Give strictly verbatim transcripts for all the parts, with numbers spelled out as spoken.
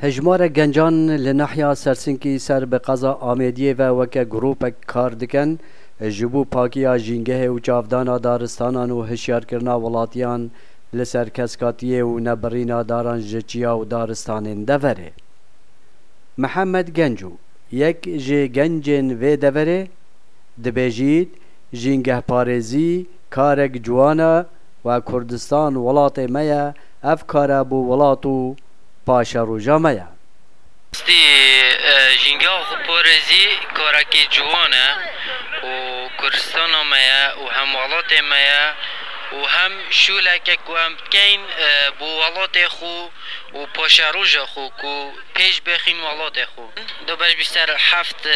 Hejmarek gencan li nahiya Sersinkî ser bi qeza Amêdiyê ve weke grûpek kar dikin, ji bo pakiya jîngehê û çavdana daristanan û hişyarkirina welatiyan li ser keskatiyê û nebirîna daran ji çiya û daristanên deverê. Mihemed Genco, yek ji gencên vê deverê, dibêjît, jîngehparêzî karek ciwan e, we Kurdistan welatê me ye, ev kar e bo welat û paşeroja me ye. Stî, e, jîngeha xwe parêzî karekî ciwan e û Kurdistana me ye û hem welatê me ye û hem şûleke ku em bikeyn, e, bo welatê xwe û paşeroja xwe ku pêş bêxîn welatê xwe. Du beş bîst ser heft, e,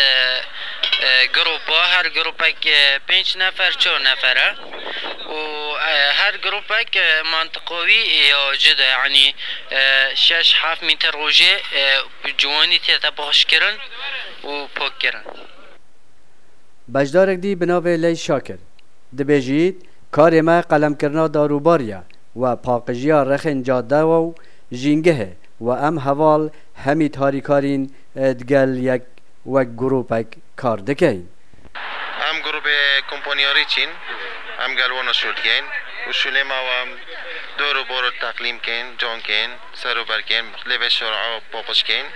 e, grupa, her grupek, e, pênc nefer, çar nefer e. Û, e, her grupek, e, mantiqa wî ya cida, yanî, e, şeş heft mîtir rojê, e, bi ciwanî tête baxşkirin û pakkirin. Beşdarek dî bi navê Leyş Şakir dibêjît, karê me qelemkirina darûbarî ye we paqijiya rexên cadewa û jîngehê we em heval hemî tarîkarîn, e, digel yek wek grûpek kar dikeyn. Em grûpê kompanyarî çîn, em gel wana şûl dikeyn û şûlê me wa em dor û bor teqlîm keyn, can keyn, ser û ber keyn, lê vê şora paqij keyn.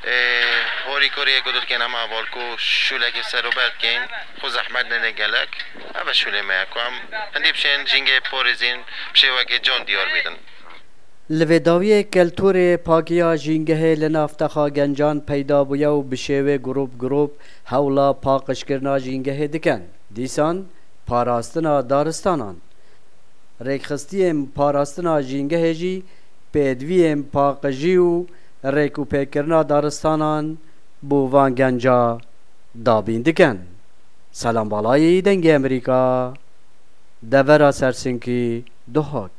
Ê, harîkariyê ku dikeyn em heval ku şûlekê ser û ber dikeyn, xwe zehmet nene gelek. Ev e şûlê me ye ku em hindî bişên jîngê parêzîn bi şêwekê can diyar bîtin. Li vê dawiyê keltûrê pakiya jîngehê li nav texa gencan peyda bûye û bi şêwê grûp grûp hewla paqijkirina jîngehê dikin. Dîsan parastina daristanan. Rêkxistiyên parastina jîngehê jî pêdiviyên paqijî û rêk û pêkirina daristanan bo van genca dabîn dikin. Selam Balayî, Dengê Amerîka, devera Sersinkî, Duhok.